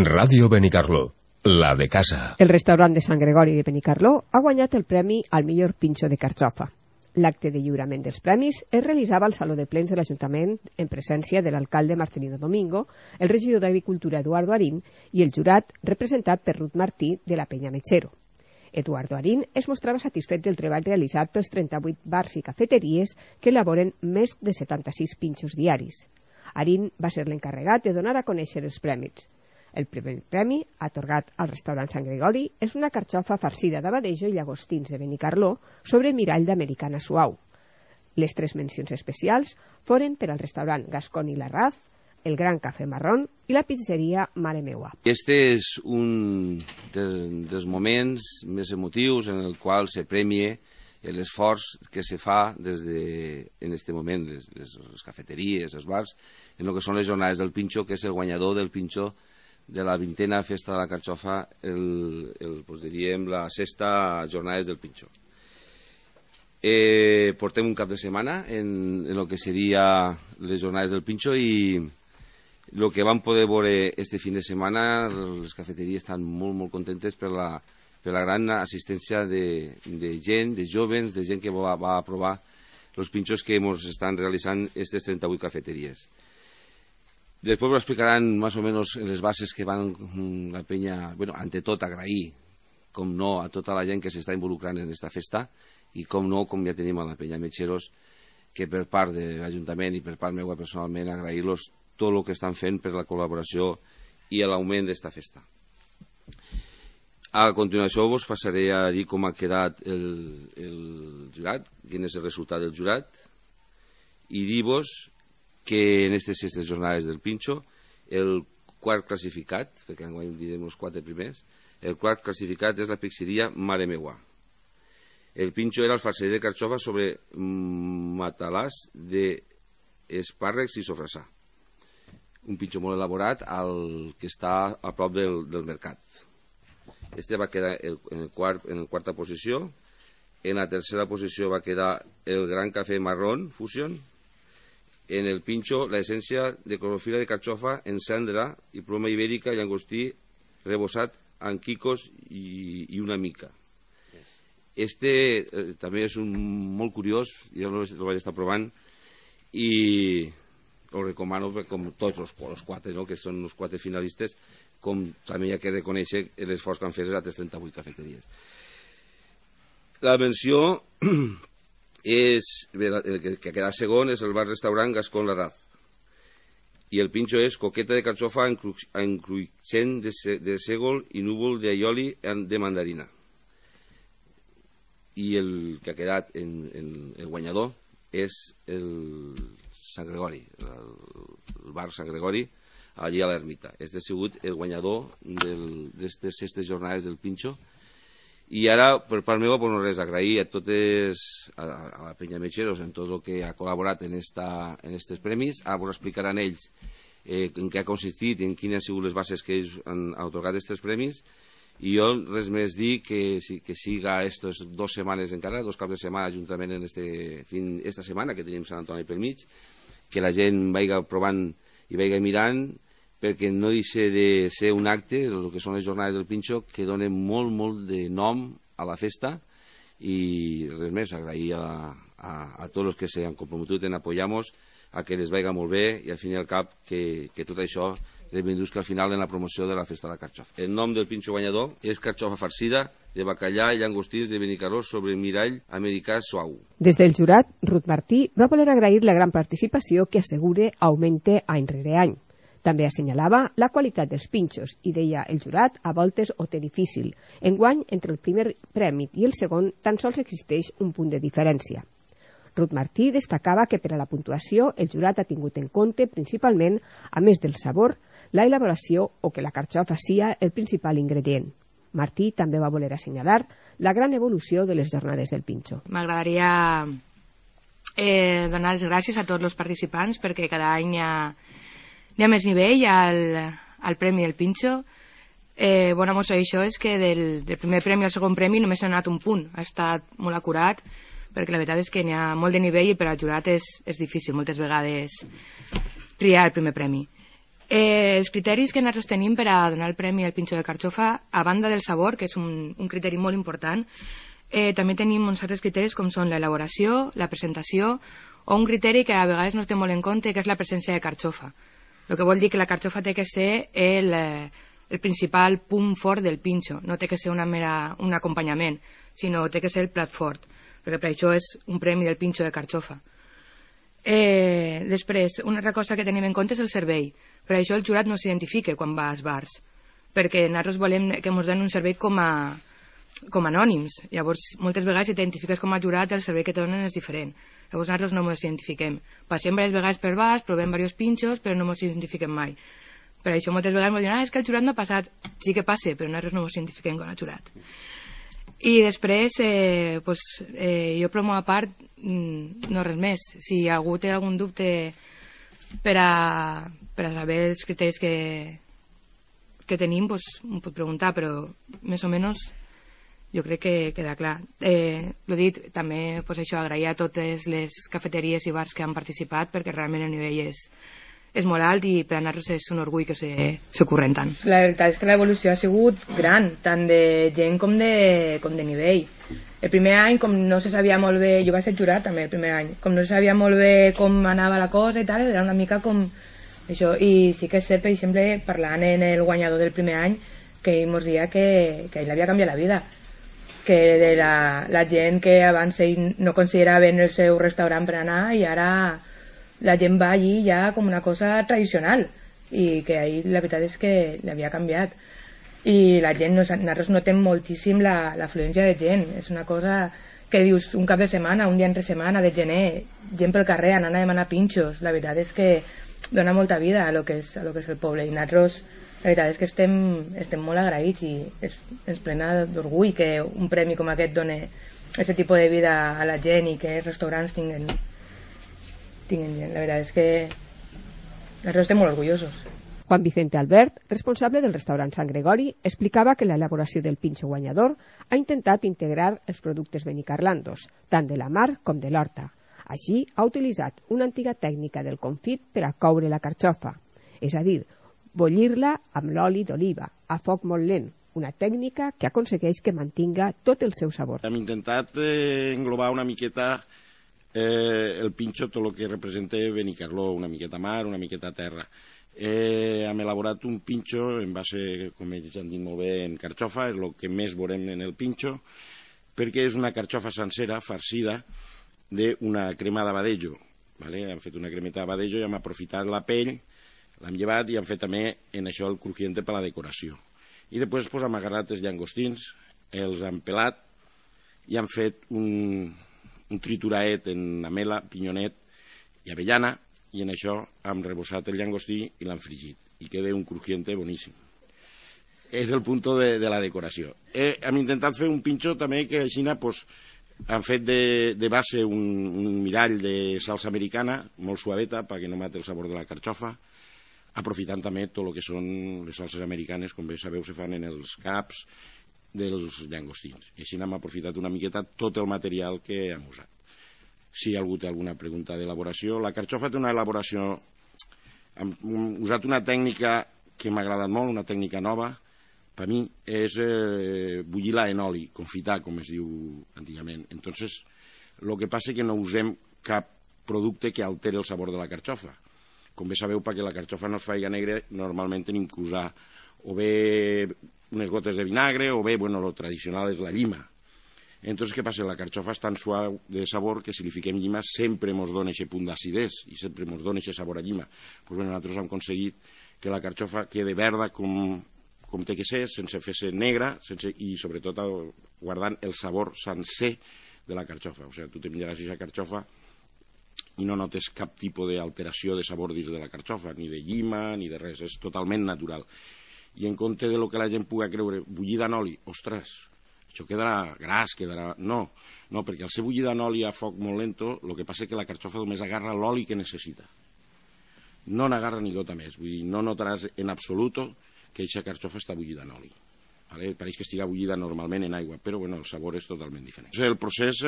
Ràdio Benicarló, la de casa. El restaurant de Sant Gregori de Benicarló ha guanyat el premi al millor pinxo de carxofa. L'acte de lliurament dels premis es realitzava al Saló de Plens de l'Ajuntament en presència de l'alcalde Marcelino Domingo, el regidor d'Agricultura Eduardo Arín i el jurat representat per Ruth Martí de la Penya Metxero. Eduardo Arín es mostrava satisfet del treball realitzat pels 38 bars i cafeteries que elaboren més de 76 pinxos diaris. Arín va ser l'encarregat de donar a conèixer els premis. El primer premi, atorgat al restaurant Sant Gregori, és una carxofa farcida d'abadejo i llagostins de Benicarló sobre mirall d'americana suau. Les 3 mencions especials foren per al restaurant Gascón i Larraz, el Gran Cafè Marrón i la pizzeria Mare Meua. Este és un dels moments més emotius en el qual se premia l'esforç que se fa des de, en aquest moment, les cafeteries, els bars, en el que són les jornades del pinxo, que és el guanyador del pinxo de la 20a festa de la carxofa, pues diríem, la 6a jornades del pinxo. Portem un cap de setmana en el que seria les jornades del pinxo i el que vam poder veure este fin de setmana, les cafeteries estan molt contentes per la gran assistència de gent, de jóvens, de gent que va a provar els pinxos que ens estan realitzant aquestes 38 cafeteries. Després ho explicaran més o menys en les bases que van la penya, bueno, ante tot agrair, com no, a tota la gent que s'està involucrant en aquesta festa i com no, com ja tenim a la penya Metxeros, que per part de l'Ajuntament i per part meva personalment agrair-los tot el que estan fent per la col·laboració i l'augment d'esta festa. A continuació vos passaré a dir com ha quedat el jurat, quin és el resultat del jurat, i dir-vos que en aquestes jornades del pinxo el quart classificat, perquè enguany direm els 4 primers, el quart classificat és la pizzeria Mare Meua. El pinxo era el farcell de carxofa sobre matalàs d'espàrrecs i sofrassà. Un pinxo molt elaborat que està a prop del mercat. Este va quedar en quarta posició. En la tercera posició va quedar el Gran Cafè Marrón Fusion. En el pinxo, la essència de clorofila de carxofa en cendra i ploma ibèrica i llagostí rebossat amb quicos i una mica. Este també és molt curiós, jo el vaig estar provant i el recomano com tots els 4, no? Que són els 4 finalistes, com també hi ha que reconèixer l'esforç que han fet les altres 38 cafeteries. La menció el que queda segon és el bar-restaurant Gascón Larraz i el pinxo és coqueta de carxofa en cruixent de sègol i núvol d'aioli de mandarina. I el que ha quedat el guanyador és el Sant Gregori, el bar Sant Gregori allí a l'Ermita. Este ha sigut el guanyador d'aquestes jornades del pinxo. I ara, per part meva, no res, agrair a totes, a la Penya Metxeros, en tot el que ha col·laborat en aquests premis. Ara vos explicaran ells en què ha consistit i en quines han sigut les bases que ells han atorgat aquests premis. I jo res més dir que siga aquestes 2 setmanes encara, 2 caps de setmana juntament en esta setmana que tenim Sant Antoni pel mig, que la gent vagi provant i vagi mirant, perquè no deixa de ser un acte, el que són les jornades del pinxo, que donen molt de nom a la festa i res més, agrair a tots els que s'han comprometut en apoyar-nos a que les vagi molt bé i al fin i al cap que tot això reivindusca al final en la promoció de la festa de la carxofa. El nom del pinxo guanyador és carxofa farcida de bacallà i llagostins de Benicarló sobre mirall americà suau. Des del jurat, Ruth Martí va voler agrair la gran participació que assegura augmente any rere any. També assenyalava la qualitat dels pinxos i deia el jurat a voltes ho té difícil. Enguany, entre el primer premi i el segon, tan sols existeix un punt de diferència. Ruth Martí destacava que per a la puntuació el jurat ha tingut en compte principalment, a més del sabor, la elaboració o que la carxofa sia el principal ingredient. Martí també va voler assenyalar la gran evolució de les jornades del pinxo. M'agradaria donar les gràcies a tots els participants perquè cada any hi ha més nivell al Premi del Pinxo. Bona mostra d'això és que del primer premi al segon premi només s'ha anat un punt. Ha estat molt acurat, perquè la veritat és que n'hi ha molt de nivell i per al jurat és difícil moltes vegades triar el primer premi. Els criteris que nosaltres tenim per a donar el premi al pinxo de carxofa, a banda del sabor, que és un criteri molt important, també tenim uns altres criteris com són l'elaboració, la presentació, o un criteri que a vegades no es té molt en compte, que és la presència de carxofa. El que vol dir que la carxofa té que ser el principal punt fort del pinxo, no té que ser un acompanyament, sinó té que ser el plat fort, perquè per això és un premi del pinxo de carxofa. Després, una altra cosa que tenim en compte és el servei. Per això el jurat no s'identifica quan va als bars, perquè nosaltres volem que ens donin un servei com anònims. Llavors, moltes vegades si t'identifiques com a jurat, el servei que te donen és diferent. Llavors nosaltres no ens identifiquem. Passem diverses vegades per bars, provem diversos pinxos, però no ens identifiquem mai. Per això moltes vegades ens diuen, és que el jurat no ha passat. Sí que passa, però nosaltres no ens identifiquem com a jurat. I després, jo promo a part, no res més. Si algú té algun dubte per a saber els criteris que tenim, em pot preguntar, però més o menys jo crec que queda clar. L'he dit, també agrair a totes les cafeteries i bars que han participat, perquè realment el nivell és molt alt i per a nosaltres és un orgull que s'ocorren tant. La veritat és que l'evolució ha sigut gran, tant de gent com de nivell. El primer any, com no se sabia molt bé, jo vaig ser jurat també el primer any, com no se sabia molt bé com anava la cosa i tal, era una mica com això, i sí que és cert, per exemple, parlant en el guanyador del primer any, que ell mos deia que ell havia canviat la vida, que de la gent que abans ell no consideraven el seu restaurant per anar i ara la gent va allí ja com una cosa tradicional i que ahir la veritat és que l'havia canviat i la gent, nosaltres notem moltíssim l'afluència de gent, és una cosa que dius un cap de setmana, un dia entre setmana de gener, gent pel carrer anant a demanar pinxos, la veritat és que dona molta vida a lo que és el poble i nosaltres la veritat és que estem molt agraïts i ens plena d'orgull que un premi com aquest doni aquest tipus de vida a la gent i que els restaurants tinguin gent. La veritat és que nosaltres estem molt orgullosos. Juan Vicente Albert, responsable del restaurant Sant Gregori, explicava que l'elaboració del pinxo guanyador ha intentat integrar els productes benicarlandos, tant de la mar com de l'horta. Així, ha utilitzat una antiga tècnica del confit per a coure la carxofa, és a dir, bullir-la amb l'oli d'oliva, a foc molt lent, una tècnica que aconsegueix que mantinga tot el seu sabor. Hem intentat englobar una miqueta el pinxo, tot el que representa Benicarló, una miqueta mar, una miqueta terra. Hem elaborat un pinxo en base, com ells han dit molt bé, en carxofa, és el que més veurem en el pinxo, perquè és una carxofa sencera, farcida, d'una crema d'abadejo. Hem fet una cremeta d'abadejo i hem aprofitat la pell, l'hem llevat i hem fet també en això el crujiente per la decoració. I després hem agarrat els llangostins, els hem pelat i hem fet un trituraet en amela, pinyonet i avellana, i en això hem rebossat el llangostí i l'hem fregit i queda un crujiente boníssim. És el punt de la decoració. Hem intentat fer un pinxo també que així han fet de base un mirall de salsa americana molt suaveta perquè no mati el sabor de la carxofa, aprofitant també tot el que són les salses americanes, com bé sabeu se fan en els caps dels llangostins. I així hem aprofitat una miqueta tot el material que hem usat. Si algú té alguna pregunta d'elaboració, la carxofa té una elaboració, hem usat una tècnica que m'ha agradat molt, una tècnica nova, per mi és bullir-la en oli, confitar, com es diu antigament. Entonces, el que passa és que no usem cap producte que alteri el sabor de la carxofa. Com bé sabeu, perquè la carxofa no es faci negra, normalment tenim que usar o bé unes gotes de vinagre o bé, bueno, lo tradicional és la llima. Entonces, què passa? La carxofa és tan suau de sabor que si li fiquem llima sempre ens dona aquest punt d'acidès i sempre ens dona aquest sabor a llima. Pues bueno, nosaltres hem aconseguit que la carxofa quede verda com té que ser, sense fer-se negra i sobretot guardant el sabor sencer de la carxofa. O sigui, tu te menjaràs aquesta carxofa i no notes cap tipus d'alteració de sabor dins de la carxofa, ni de llima ni de res, és totalment natural. I en compte de lo que la gent pugui creure, bullida en oli, ostres, això quedarà gras, quedarà... No, perquè al ser bullida en oli a foc molt lento, el que passa és que la carxofa només agarra l'oli que necessita. No n'agarra ni gota més, vull dir, no notaràs en absolut que aquesta carxofa està bullida en oli. Pareix que estiga bullida normalment en aigua, però bueno, el sabor és totalment diferent. El procés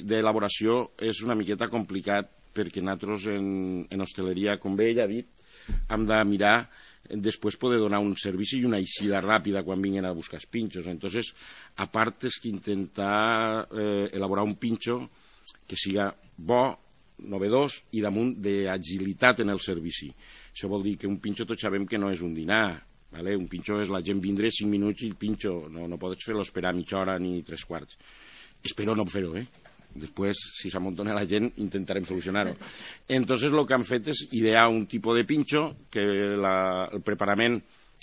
d'elaboració és una miqueta complicat perquè nosaltres en hostaleria, com bé ella ha dit, hem de mirar després poder donar un servici i una eixida ràpida quan vinguin a buscar els pinxos. Entonces, a part és que intentar elaborar un pinxo que siga bo, novedós i damunt d'agilitat en el servici. Això vol dir que un pinxo tots sabem que no és un dinar, vale? Un pinxo és la gent vindre 5 minuts i el pinxo, no pots fer-lo esperar mitja hora ni 3/4. Espero no fer-ho, Després, si s'amontona la gent, intentarem solucionar-ho. Entonces, el que han fet és idear un tipus de pinxo que el preparament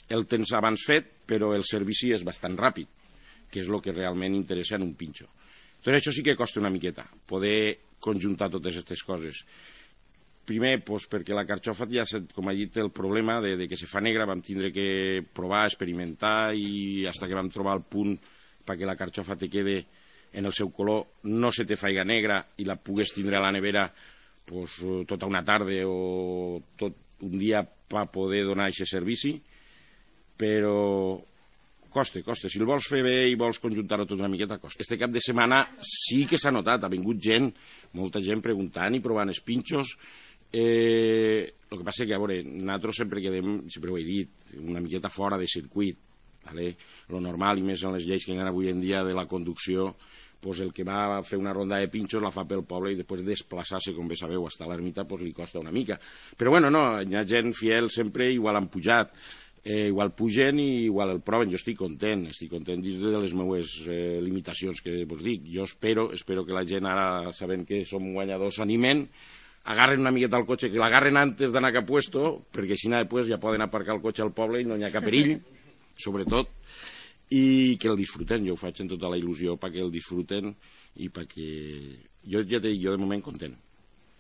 el tens abans fet, però el servici és bastant ràpid, que és el que realment interessa en un pinxo. Entonces, això sí que costa una miqueta, poder conjuntar totes aquestes coses. Primer, doncs, perquè la carxofa, ja com ha dit, el problema de que se fa negra, vam tindre que provar, experimentar, i fins que vam trobar el punt perquè la carxofa te quede en el seu color, no se te faiga negra i la pugues tindre a la nevera pues, tota una tarda o tot un dia per poder donar aquest servici, però costa. Si el vols fer bé i vols conjuntar-ho tot una miqueta, costa. Este cap de setmana sí que s'ha notat, ha vingut gent, molta gent preguntant i provant els pinxos. El que passa que, a veure, nosaltres sempre quedem, sempre ho he dit, una miqueta fora de circuit. Vale? Lo normal, i més en les lleis que hi ha avui en dia de la conducció, pues el que va a fer una ronda de pinxos la fa pel poble i després desplaçar-se, com bé sabeu, fins a l'ermita, pues li costa una mica. Però bueno, no, hi ha gent fiel sempre, igual han pujat, igual pugen i igual el proven. Jo estic content dins de les meves limitacions que vos dic. Jo espero que la gent ara, sabent que som guanyadors, s'animen, agarren una miqueta el cotxe, que l'agarren antes d'anar cap puesto, perquè així després ja poden aparcar el cotxe al poble i no hi ha cap perill, sobretot, i que el disfruten. Jo ho faig en tota la il·lusió perquè el disfruten i perquè jo ja t'he dit, jo de moment content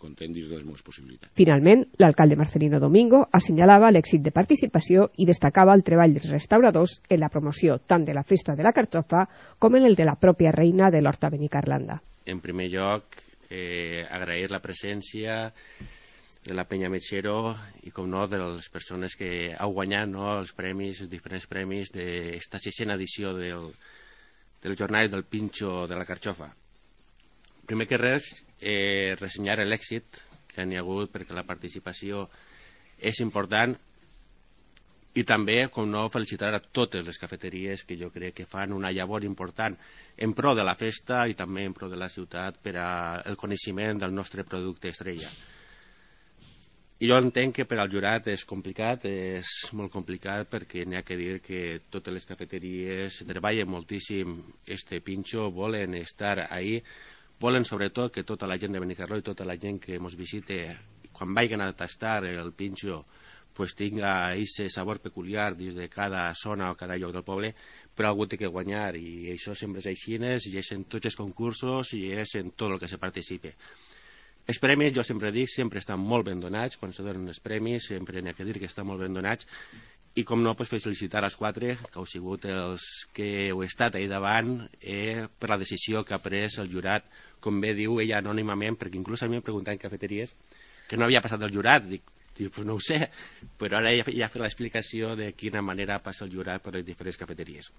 dins de les meves possibilitats. Finalment, l'alcalde Marcelino Domingo assenyalava l'èxit de participació i destacava el treball dels restauradors en la promoció tant de la festa de la carxofa com en el de la pròpia reina de l'Horta Benicarlanda. En primer lloc, agrair la presència de la Penya Metxero i, com no, de les persones que heu guanyat els premis, els diferents premis d'esta 6a edició del Jornal del Pinxo de la Carxofa. Primer que res, ressenyar l'èxit que n'hi ha hagut perquè la participació és important i també, com no, felicitar a totes les cafeteries que jo crec que fan una llavor important en pro de la festa i també en pro de la ciutat per al coneixement del nostre producte estrella. I jo entenc que per al jurat és complicat, és molt complicat perquè n'hi ha que dir que totes les cafeteries treballen moltíssim este pinxo, volen estar ahí, volen sobretot que tota la gent de Benicarló i tota la gent que ens visite, quan vagin a tastar el pinxo, pues tinga aquest sabor peculiar dins de cada zona o cada lloc del poble, però algú té que guanyar i això sempre és així, i és en tots els concursos i és en tot el que se participe. Els premis, jo sempre dic, sempre estan molt ben donats, quan se donen els premis, sempre n'hi ha que dir que estan molt ben donats, i com no, felicitar els 4, que heu sigut els que heu estat ahí davant per la decisió que ha pres el jurat, com bé diu ella anònimament, perquè inclús a mi em preguntaven en cafeteries que no havia passat del jurat, dic, pues no ho sé, però ara ja ha fet l'explicació de quina manera passa el jurat per les diferents cafeteries.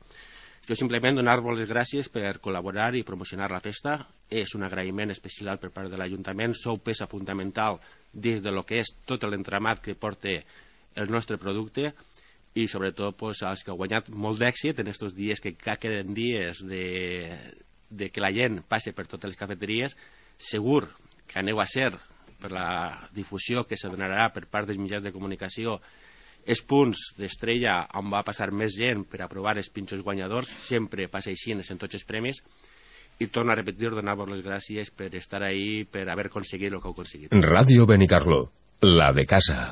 Jo simplement donar-vos les gràcies per col·laborar i promocionar la festa. És un agraïment especial per part de l'Ajuntament. Sou peça fundamental dins de lo que és tot l'entramat que porta el nostre producte i sobretot als que heu guanyat molt d'èxit en aquests dies que queden dies de que la gent passe per totes les cafeteries. Segur que aneu a ser, per la difusió que se donarà per part dels mitjans de comunicació, els punts d'estrella on va passar més gent per aprovar els pinxos guanyadors, sempre passa així en tots els premis, i torno a repetir, donar-vos les gràcies per estar ahí, per haver aconseguit el que heu aconseguit. Ràdio Benicarló, la de casa.